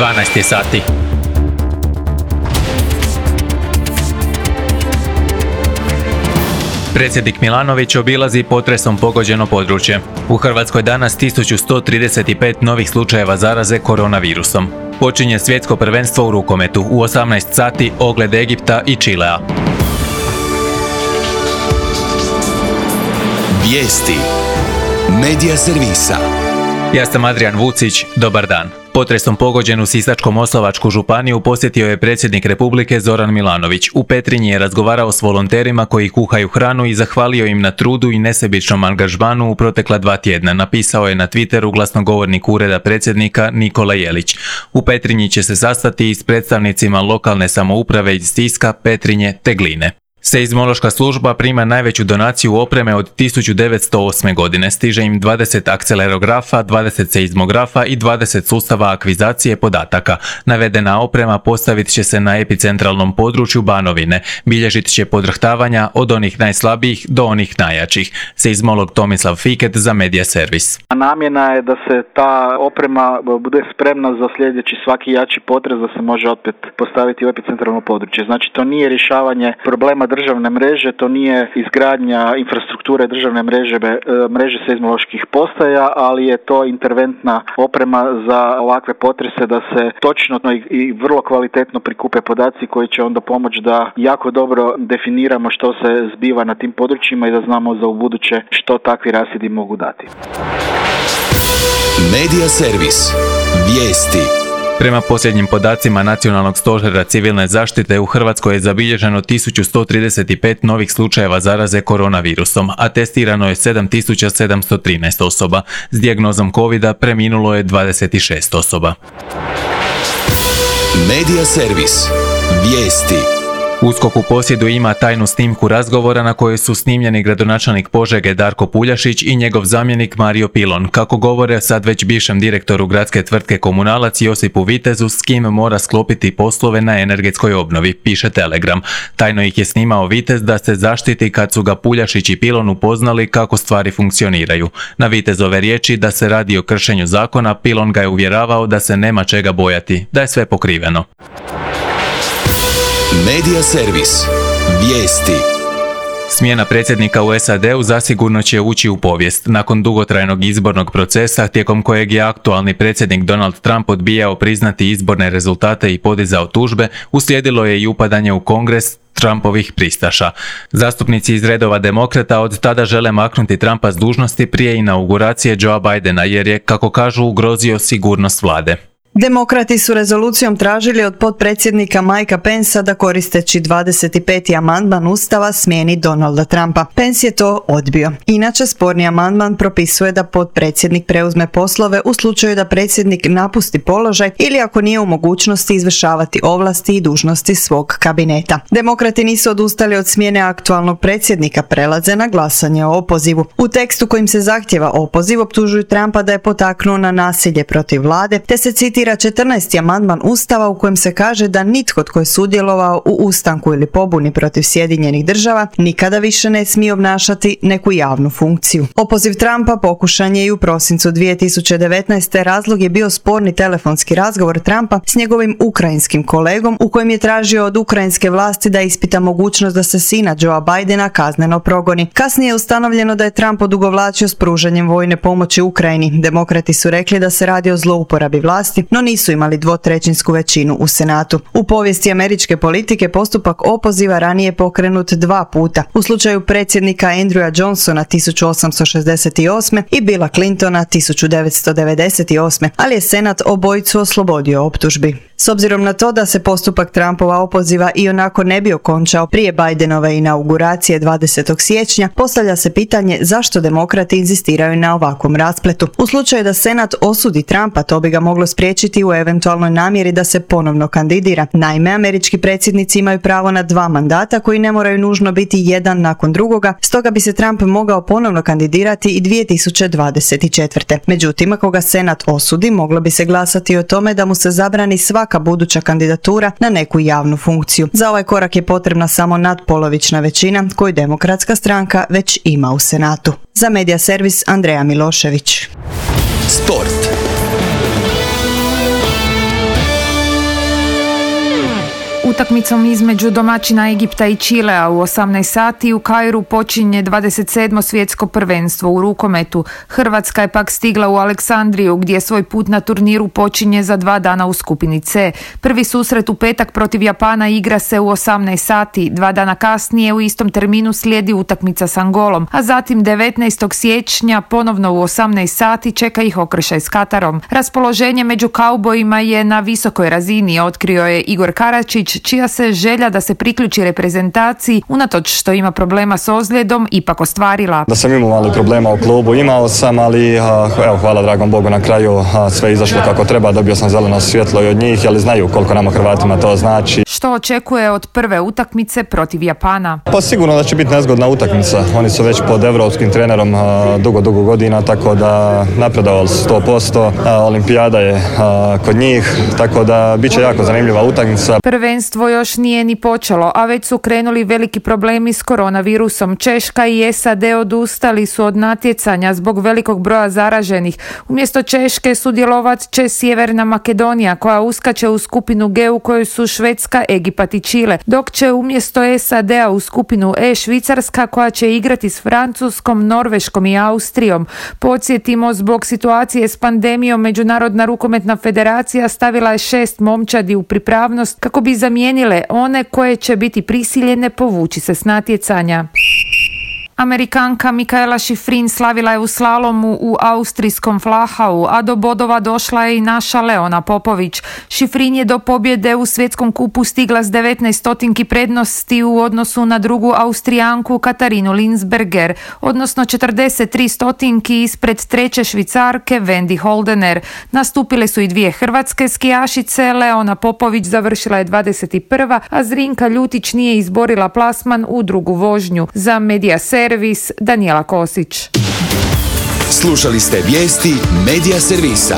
12 je sati. Predsjednik Milanović obilazi potresom pogođeno područje. U Hrvatskoj danas 1135 novih slučajeva zaraze koronavirusom. Počinje svjetsko prvenstvo u rukometu. U 18 sati ogled Egipta i Čilea. Vijesti Medija servisa. Ja sam Adrian Vucić, dobar dan. Potresom pogođenu Sisačko-moslavačku županiju posjetio je predsjednik Republike Zoran Milanović. U Petrinji je razgovarao s volonterima koji kuhaju hranu i zahvalio im na trudu i nesebičnom angažmanu u protekla 2 tjedna, napisao je na Twitteru glasnogovornik Ureda predsjednika Nikola Jelić. U Petrinji će se sastati i s predstavnicima lokalne samouprave iz Siska, Petrinje te Gline. Seizmološka služba prima najveću donaciju opreme od 1908. godine. Stiže im 20 akcelerografa, 20 seizmografa i 20 sustava akvizacije podataka. Navedena oprema postavit će se na epicentralnom području Banovine. Bilježit će podrhtavanja od onih najslabijih do onih najjačih. Seizmolog Tomislav Fiket za Medija servis. Namjena je da se ta oprema bude spremna za sljedeći svaki jači potres, da se može opet postaviti u epicentralno područje. Znači to nije rješavanje problema državne mreže, to nije izgradnja infrastrukture državne mreže seizmoloških postaja, ali je to interventna oprema za ovakve potrese da se točno i vrlo kvalitetno prikupe podaci koji će onda pomoći da jako dobro definiramo što se zbiva na tim područjima i da znamo za ubuduće što takvi rasidi mogu dati. Medija servis. Vijesti. Prema posljednjim podacima Nacionalnog stožera civilne zaštite u Hrvatskoj je zabilježeno 1135 novih slučajeva zaraze koronavirusom, a testirano je 7713 osoba. S dijagnozom covida preminulo je 26 osoba. Medija servis. Vijesti. USKOK u posjedu ima tajnu snimku razgovora na kojoj su snimljeni gradonačelnik Požege Darko Puljašić i njegov zamjenik Mario Pilon, kako govore sad već bivšem direktoru gradske tvrtke Komunalac Josipu Vitezu, s kim mora sklopiti poslove na energetskoj obnovi, piše Telegram. Tajno ih je snimao Vitez da se zaštiti kad su ga Puljašić i Pilon upoznali kako stvari funkcioniraju. Na Vitezove riječi da se radi o kršenju zakona, Pilon ga je uvjeravao da se nema čega bojati, da je sve pokriveno. Medija servis. Vijesti. Smjena predsjednika u SAD-u zasigurno će ući u povijest. Nakon dugotrajnog izbornog procesa, tijekom kojeg je aktualni predsjednik Donald Trump odbijao priznati izborne rezultate i podizao tužbe, uslijedilo je i upadanje u Kongres Trumpovih pristaša. Zastupnici iz redova demokrata od tada žele maknuti Trumpa s dužnosti prije inauguracije Joea Bidena jer je, kako kažu, ugrozio sigurnost vlade. Demokrati su rezolucijom tražili od potpredsjednika Mikea Pencea da koristeći 25. amandman Ustava smijeni Donalda Trumpa. Pence je to odbio. Inače, sporni amandman propisuje da potpredsjednik preuzme poslove u slučaju da predsjednik napusti položaj ili ako nije u mogućnosti izvršavati ovlasti i dužnosti svog kabineta. Demokrati nisu odustali od smjene aktualnog predsjednika, prelaze na glasanje o opozivu. U tekstu kojim se zahtjeva opoziv optužuju Trumpa da je potaknuo na nasilje protiv vlade, te se citira 14. amandman Ustava u kojem se kaže da nitko tko je sudjelovao u ustanku ili pobuni protiv Sjedinjenih država nikada više ne smije obnašati neku javnu funkciju. Opoziv Trumpa pokušan je i u prosincu 2019. Razlog je bio sporni telefonski razgovor Trumpa s njegovim ukrajinskim kolegom u kojem je tražio od ukrajinske vlasti da ispita mogućnost da se sina Joea Bidena kazneno progoni. Kasnije je ustanovljeno da je Trump odugovlačio s pružanjem vojne pomoći Ukrajini. Demokrati su rekli da se radi o zlouporabi vlasti, no nisu imali 2/3 većinu u Senatu. U povijesti američke politike postupak opoziva ranije pokrenut 2 puta. U slučaju predsjednika Andrewa Johnsona 1868. i Billa Clintona 1998. ali je Senat obojicu oslobodio optužbi. S obzirom na to da se postupak Trumpova opoziva ionako ne bi okončao prije Bidenove inauguracije 20. siječnja, postavlja se pitanje zašto demokrati inzistiraju na ovakvom raspletu. U slučaju da Senat osudi Trumpa, to bi ga moglo spriječiti u eventualnoj namjeri da se ponovno kandidira. Naime, američki predsjednici imaju pravo na 2 mandata koji ne moraju nužno biti jedan nakon drugoga, stoga bi se Trump mogao ponovno kandidirati i 2024. Međutim, ako ga Senat osudi, moglo bi se glasati o tome da mu se zabrani svaka buduća kandidatura na neku javnu funkciju. Za ovaj korak je potrebna samo nadpolovična većina koju Demokratska stranka već ima u Senatu. Za Medija servis Andreja Milošević. Sport. Utakmicom između domaćina Egipta i Čilea u 18 sati u Kairu počinje 27. svjetsko prvenstvo u rukometu. Hrvatska je pak stigla u Aleksandriju gdje svoj put na turniru počinje za 2 dana u skupini C. Prvi susret u petak protiv Japana igra se u 18 sati. 2 dana kasnije u istom terminu slijedi utakmica s Angolom, a zatim 19. siječnja ponovno u 18 sati čeka ih okršaj s Katarom. Raspoloženje među kaubojima je na visokoj razini, otkrio je Igor Karačić, čija se želja da se priključi reprezentaciji, unatoč što ima problema s ozljedom, ipak ostvarila. Da sam imao mali problema u klubu, imao sam, ali evo, hvala dragom Bogu na kraju, sve je izašlo kako treba, dobio sam zeleno svjetlo i od njih, ali znaju koliko nama Hrvatima to znači. Što očekuje od prve utakmice protiv Japana? Pa sigurno da će biti nezgodna utakmica. Oni su već pod evropskim trenerom dugo godina, tako da napredovali su 100%. Olimpijada je kod njih, tako da bit će jako zanimljiva utakmica. Prvenstvo još nije ni počelo, a već su krenuli veliki problemi s koronavirusom. Češka i SAD odustali su od natjecanja zbog velikog broja zaraženih. Umjesto Češke sudjelovat će Sjeverna Makedonija, koja uskače u skupinu G u kojoj su Švedska, Egipat i Čile, dok će umjesto SAD-a u skupinu E Švicarska, koja će igrati s Francuskom, Norveškom i Austrijom. Podsjetimo, zbog situacije s pandemijom Međunarodna rukometna federacija stavila je 6 momčadi u pripravnost kako bi zamijenile one koje će biti prisiljene povući se s natjecanja. Amerikanka Mikaela Šifrin slavila je u slalomu u austrijskom Flachau, a do bodova došla je i naša Leona Popović. Šifrin je do pobjede u svjetskom kupu stigla s 19 stotinki prednosti u odnosu na drugu Austrijanku Katarinu Linsberger, odnosno 43 stotinki ispred treće Švicarke Wendy Holdener. Nastupile su i 2 hrvatske skijašice, Leona Popović završila je 21. a Zrinka Ljutić nije izborila plasman u drugu vožnju. Za Media Servis, Danijela Kosić. Slušali ste vijesti Media Servisa.